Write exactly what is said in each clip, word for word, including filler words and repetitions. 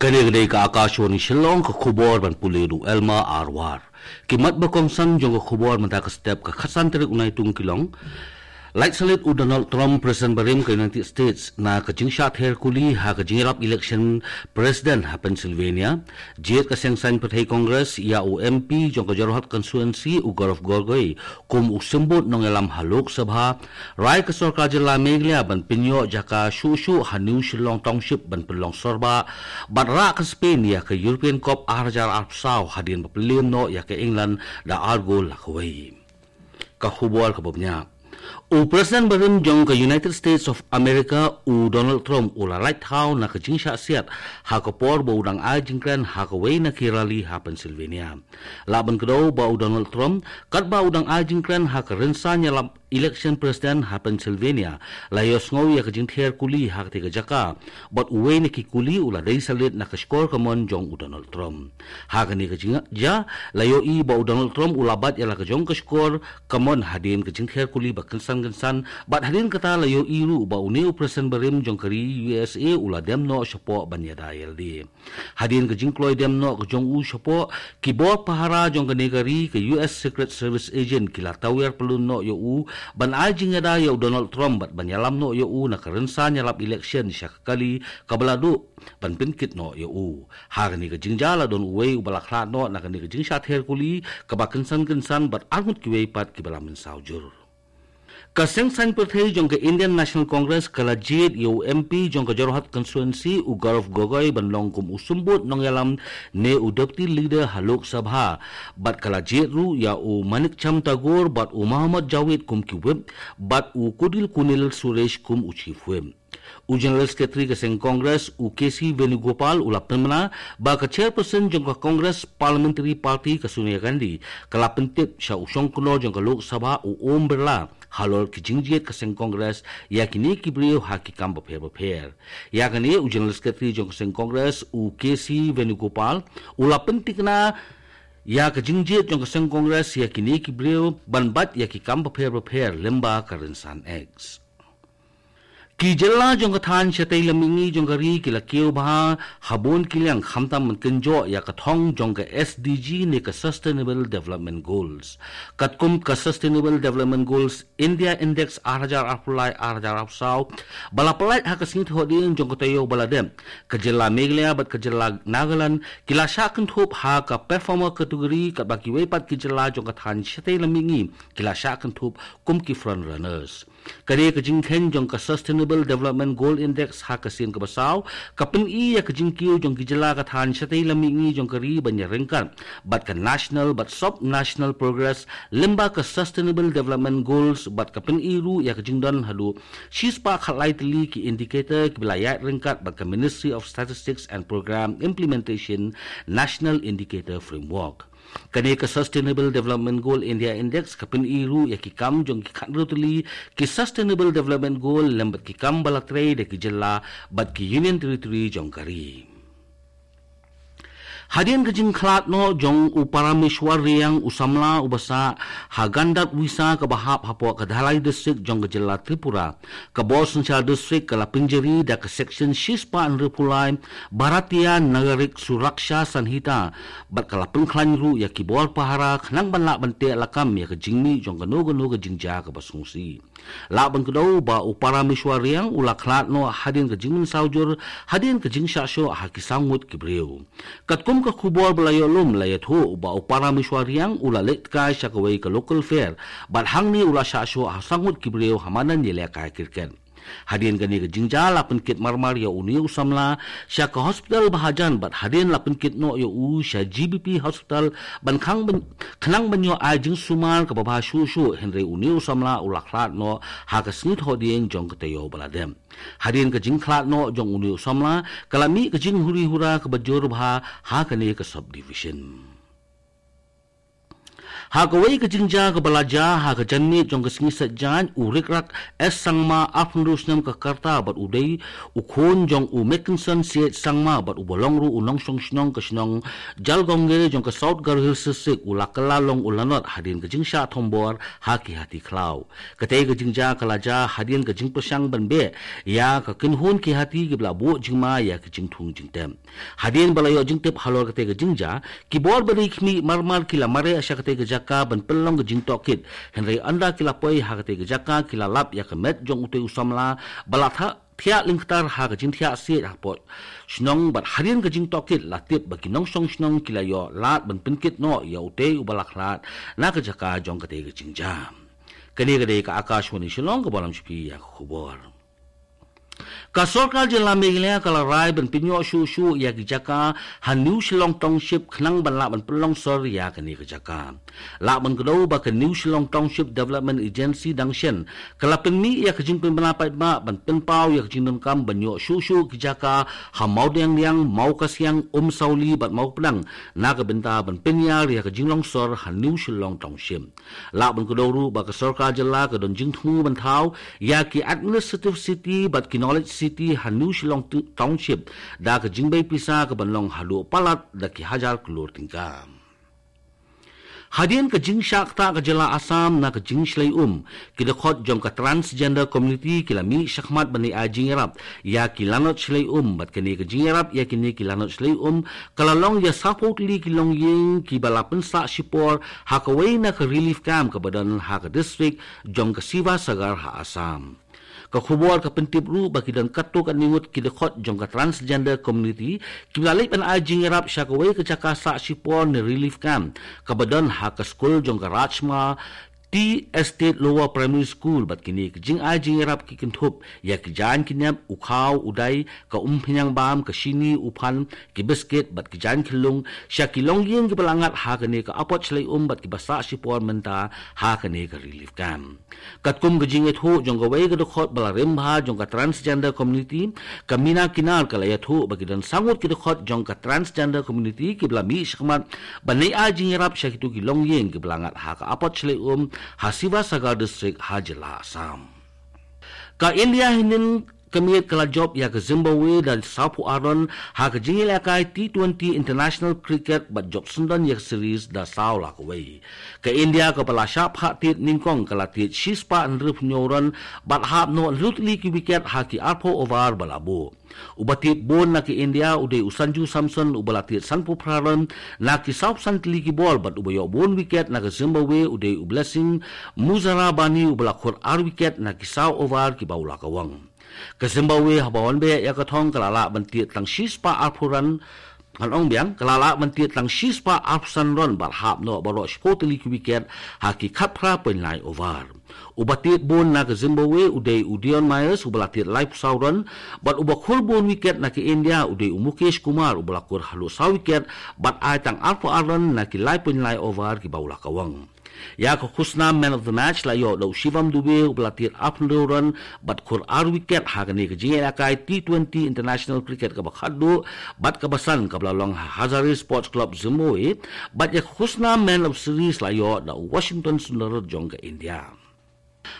Kane ka dei ka Akashvani Shillong, ka khubor ban pule da u Elma Arwar. Ki mat ba kongsan jong ka khubor mynta ka step, ka khatsan tarik u Naitung ki long: Lait salit u Donald Trump, President barim ka United States, na ka jingshah ther kuli ha ka jingïalap election President ha Pennsylvania. Jied ka seng saiñ pyrthei Congress ïa u M P jong ka Jorhat constituency u Gaurav Gogoi kum u symbud nongïalam ha Lok Sabha. Rai ka sorkar jylla Meghalaya ban pynïoh jaka shuh shuh ha New Shillong Township ban pynlong sorbah, bad rah ka Spain ïa ka European Cup ar hajar arphew saw hadien ba pynliem noh ïa ka England da ar gol la kawei. Ka khubor kaba bniah. U President barim jong ka United States of America u Donald Trump u la lait thaw na ka jingshah siat ha ka por ba u dang ai jingkren ha kawei na ki rally ha Pennsylvania. Lah ban kdew ba u Donald Trump, katba u dang ai jingkren ha ka rynsan ïalap election President ha Pennsylvania, la ïohsngew ïa ka jingther kuli ha katei ka jaka, bad uwei na ki kuli u la dei salit na ka shkor kamon jong u Donald Trump. Ha kane ka jingjia la ïohi ba u Donald Trump u la bat ïa la ka jong ka shkor kamon hadien ka jingther kuli ba kynsan kynsan, bad hadien kata la ïohi ruh ba une u President barim jong ka ri U S A u la dem noh shapoh ban ïada ïalade. Hadien ka jingkloi dem noh ka jong u shapoh, ki bor pahara jong kane ka ri, ka U S Secret Service agent, ki la tawiar pyllun noh ïa u ban ai jingïada ïa u Donald Trump bad ban ïalam noh ïa u na ka rynsan ïalap election sha ka kali kaba la duh ban pynkit noh ïa u. Ha kane ka jingjia la don uwei uba la khlad noh na kane ka jingshah ther kuli kaba kynsan kynsan bad arngut kiwei pat kiba la mynsaw jur. Ka seng saiñ pyrthei jong ka Indian National Congress ka la jied ïa u M P jong ka Jorhat constituency u Gaurav Gogoi ban long kum u symbud nongïalam ne u deputy leader ha Lok Sabha, bad ka la jied ruh ïa u Manikchand Tagore bad u Mohammad Jawid kum ki whip, bad u Kudil Kunil Suresh kum u chief whip. U General Secretary ka seng Congress u K C Venugopal u la pynbna ba ka chairperson jong ka Congress Parliamentary Party ka Sonia Gandhi ka la pyntip sha u shongknor jong ka Lok Sabha u Om Birla halor ki jingjied ka seng Congress ïa kine ki briew ha ki kam bapher bapher. Ïa kane u General Secretary jong ka seng Congress u K C Venugopal u la pyntikna ïa ka jingjied jong ka seng Congress ïa kine ki briew ban bat ïa ki kam bapher bapher lyngba ka rynsan X. Ki jylla jong ka thaiñ shatei lam mihngi jong ka ri ki la kiew bha ha bun ki liang khamtam ban kynjoh ïa ka thong jong ka S D G ne ka Sustainable Development Goals. Katkum ka Sustainable Development Goals India Index ar hajar arphew lai ar hajar arphew saw ba la pyllait ha ka sngi Thohdieng jong ka taïew ba la dep, ka jylla Meghalaya bad ka jylla Nagaland ki la shah kynthup ha ka performer category, katba kiwei pat ki jylla jong ka thaiñ shatei lam mihngi ki la shah kynthup kum ki front runners. Kane ka jingkheiñ jong ka Sustainable Development Goal Index ha ka sien kaba saw ka pyni ïa ka jingkiew jong ki jylla ka thaiñ shatei lam mihngi jong ka ri ban ïa ryngkat bad ka national bad sub-national progress lyngba ka Sustainable Development Goals, bad ka pyni ruh ïa ka jingdon haduh shispah khatlai tylli ki indicator kiba la ïaid ryngkat bad ka Ministry of Statistics and Programme Implementation National Indicator Framework. Kane ka Sustainable Development Goal India Index ka pyni ruh ïa ki kam jong ki khathynriew tylli ki Sustainable Development Goal lem bad ki kam ba la trei da ki jylla bad ki Union Territory jong ka ri. Hadien ka jingkhlad noh jong u Parameshwar Reang, u samla uba sah ha Gandawisa kaba hap hapoh ka Dhalai District jong ka jylla Tripura, ka bor synshar district ka la pynjari da ka section shispah hynriewphew lai Bharatiya Nagarik Suraksha Sanhita, bad ka la pynkhlaiñ ruh ïa ki bor pahara khnang ban lah ban teh lakam ïa ka jingmih jong kano kano ka jingjia kaba sngewsih. Lah ban kdew ba u Parameshwar Reang u la khlad noh hadien ka jingmynsaw jur hadien ka jingshah shoh ha ki saw ngut ki briew. Katkum ka khubor ba la ïoh lum la ïathuh ba u Parameshwar Reang u la leit kai sha kawei ka local fair, bad hangne u la shah shoh ha saw ngut ki briew ha madan ïalehkai cricket. Hadien kane ka jingjia la pynkit marmar ïa une u samla sha ka hospital ba hajan, bad hadien la pynkit noh ïa u sha G B P hospital ban khang ban, khnang ban ïoh ai jingsumar kaba bha shuh shuh, hynrei une u samla u la khlad noh ha ka sngi Thohdieng jong ka taïew ba la dep. Hadien ka jingkhlad noh jong une u samla ka la mih ka jinghuri hura kaba jur bha ha kane ka subdivision. Ha kawei ka jingjia kaba la jia ha ka janmiet jong ka sngi Saitjaiñ, u Rikrak S Sangma, arphew hynriew snem ka rta bad u dei u khun jong u Mekenson Siej Sangma bad uba long ruh u nongshong shnong ka shnong Jalgaonge jong ka South Garo Hills District, u la kylla long u lanot hadien ka jingshah thombor ha ki hati khlaw. Katei ka jingjia ka la jia hadien ka jingpyrshang ban beh ïa ka kynhun ki hati kiba la buh jingma ïa ki jingthung jingtep. Hadien ba la ïoh jingtip halor katei ka jingjia, ki bor ba dei khmih marmar ki la mareh sha katei ka jaka ban pynlong ka jingtohkit. Hynrei ynda ki la poi ha katei ka jaka, ki la lap ïa ka met jong utei u samla ba la thiah, thiah lyngktar ha ka jingthiah siej hapoh shnong, bad hadien ka jingtohkit la tip ba ki nongshong shnong ki la ïoh lad ban pynkit noh ïa utei uba la khlad na ka jaka jong katei ka jingjia. Kane ka dei ka Akashvani Shillong kaba lam sha phi ïa ka khubor. Ka sorkar jylla Meghalaya ka la rai ban pynïoh shuh shuh ïa ki jaka ha New Shillong Township khnang ban lah ban pynlong sor ïa kane ka jaka. Lah ban kdew ba ka New Shillong Township Development Agency dang shen ka la pynmih ïa ka jingpynbna paidbah ban pynpaw ïa ka jingdonkam ban ïoh shuh shuh ki jaka ha Mawdiangdiang, Mawkasiang, Umsawli bad Mawpdang na ka bynta ban pynïar ïa ka jinglong sor ha New Shillong Township. Lah ban kdew ruh ba ka sorkar jylla ka don jingthmu ban thaw ïa ki administrative city bad ki knowledge city ha New Shillong T-, Township da ka jingbei pisa kaban long haduh palat da ki hajar klur tyngka. Hadien ka jingshah ktah ka jylla Assam na ka jingshlei um, ki dkhot jong ka transgender community ki la mih shakhmat ban ai jingïarap ïa ki lanot shlei um, bad kane ka jingïarap ïa kine ki lanot shlei um ka la long ïa sawphew tylli ki longïing kiba la pynsah shipor ha kawei na ka relief camp kaba don ha ka district jong ka Sivasagar ha Assam. Ka khubor ka pyntip ruh ba ki don katto katne ngut ki dkhot jong ka transgender community kiba la leit ban ai jingïarap sha kawei ka jaka sah shipor ne relief camp kaba don ha ka skul jong ka Rajma Tea Estate Lower Primary School, bad kine ki jingai jingïarap ki kynthup ïa ki jaiñ ki nep, u khaw, u dai, ka umphniang bam, ka shini, u phan, ki biskit bad ki jaiñ khyllung sha ki longïing kiba la ngat ha kane ka apot shlei um bad kiba sah shipor mynta ha kane ka relief camp. Katkum ka jingïathuh jong kawei ka dkhot ba la rim bha jong ka transgender community, ka Mina Kinar, ka la ïathuh ba ki don saw ngut ki dkhot jong ka transgender community kiba la mih shakhmat ban ai jingïarap sha kito ki longïing kiba la ngat ha ka apot shlei um ha Sivasagar District ha jylla Assam. Ka India hynnin ka miet ka la jop ïa ka Zimbabwe da sawphew ar run ha ka jingïalehkai T twenty International Cricket bad jop syndon ïa ka series da saw la kawei. Ka India kaba la shah phah tied nyngkong ka la tied shispah hynriewphew hynñiew run bad hap noh hynriew tylli ki wicket ha ki arphew over ba la buh. Uba tied bun na ka India u dei u Sanju Samson uba la tied sanphew phra run na ki sawphew san tylli ki bol, bad uba ïoh bun wicket na ka Zimbabwe u dei u Blessing Muzarabani uba la khur ar wicket na ki saw over kiba u la kawang. Ka Zimbabwe haba wan beh ïa ka thong ka la lah ban tied tang shispah arphew run, ngan ong biang, ka la lah ban tied tang shispah arphew san run bad hap noh baroh shiphew tylli ki wicket ha ki khatphra point lai over. Uba tied bun na ka Zimbabwe u dei u Dion Myers uba la tied laiphew saw run, bad uba khur bun wicket na ka India u dei u Mukesh Kumar uba la khur haduh saw wicket bad ai tang arphew ar run na ki lai point lai over kiba u la kawang. Ïa ka khusnam man of the match la ïoh da u Shivam Dube uba la tied arphew hynriew run bad khur ar wicket ha kane ka jingïalehkai T twenty International Cricket kaba khatduh bad kaba san kaba la long ha Hazare Sports Club Zimbabwe, bad ïa ka khusnam man of series la ïoh da u Washington Sundar jong ka India.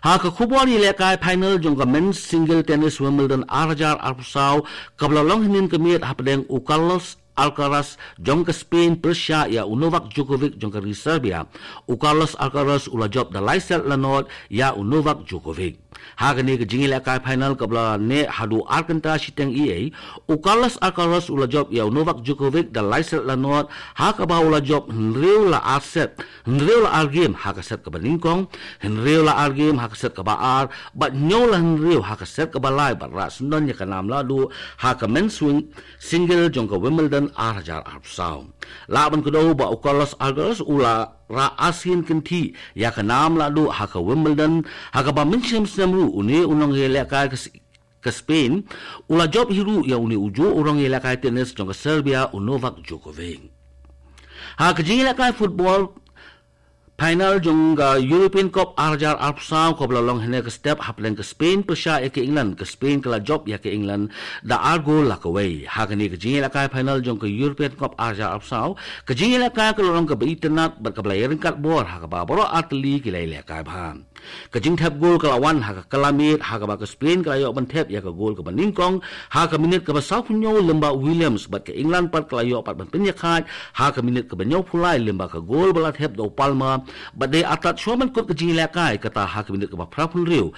Ha ka khubor ïalehkai final jong ka men's single tennis Wimbledon ar hajar arphew saw kaba la long hynnin ka miet hapdeng u Carlos Alcaraz jong ka Spain pyrshah ïa u Novak Djokovic jong ka ri Serbia, u Carlos Alcaraz u la jop da lai set la nod ïa u Novak Djokovic. Ha kane ka jingïalehkai final kaba la neh haduh ar kynta shiteng eiei, u Carlos Alcaraz u la jop ïa u Novak Djokovic da lai set la nod, ha kaba u la jop hynriew la ar set, hynriew la ar game ha ka set kaba nyngkong, hynriew la ar game ha ka set kaba ar, bad hynñiew la hynriew ha ka set kaba lai, bad rah syndon ïa ka nam lahduh ha ka men's wing single jong ka Wimbledon ar hajar arphew saw. Lah ban kdew ba u Carlos Alcaraz u la rah arsien kynthih ïa ka nam lahduh ha ka Wimbledon, ha kaba mynshem snem ruh une u nongïalehkai ka s-, ka Spain u la jop hi ruh ïa une u juh u nongïalehkai tennis jong ka Serbia u Novak Djokovic. Ha ka jingïalehkai football, Final jong ka European Cup arhajar arphew saw kaba la long hynne ka step hapdeng ka Spain pyrshah ïa ka England, ka Spain ka la jop ïa ka England da ar gol la kawei. Ha kane ka jingïalehkai final jong ka European Cup arhajar arphew saw, ka jingïalehkai ka la long kaba itynnad bad kaba la ïaryngkat bor ha kaba baroh artylli ki la ïalehkai bha. Ka jingthep gol ka la wan ha ka kylla miet ha kaba ka Spain ka la ïoh ban thep ïa ka gol kaba nyngkong ha ka minit kaba sawphew hynñiew lyngba u Williams, bad ka England pat ka la ïoh pat ban pynïakhaid ha ka minit kaba hynñiewphew lai lyngba ka gol ba la thep da u Palmer, bad dei artat shuwa ban kut ka jingïalehkai kata ha ka minit kaba phraphew hynriew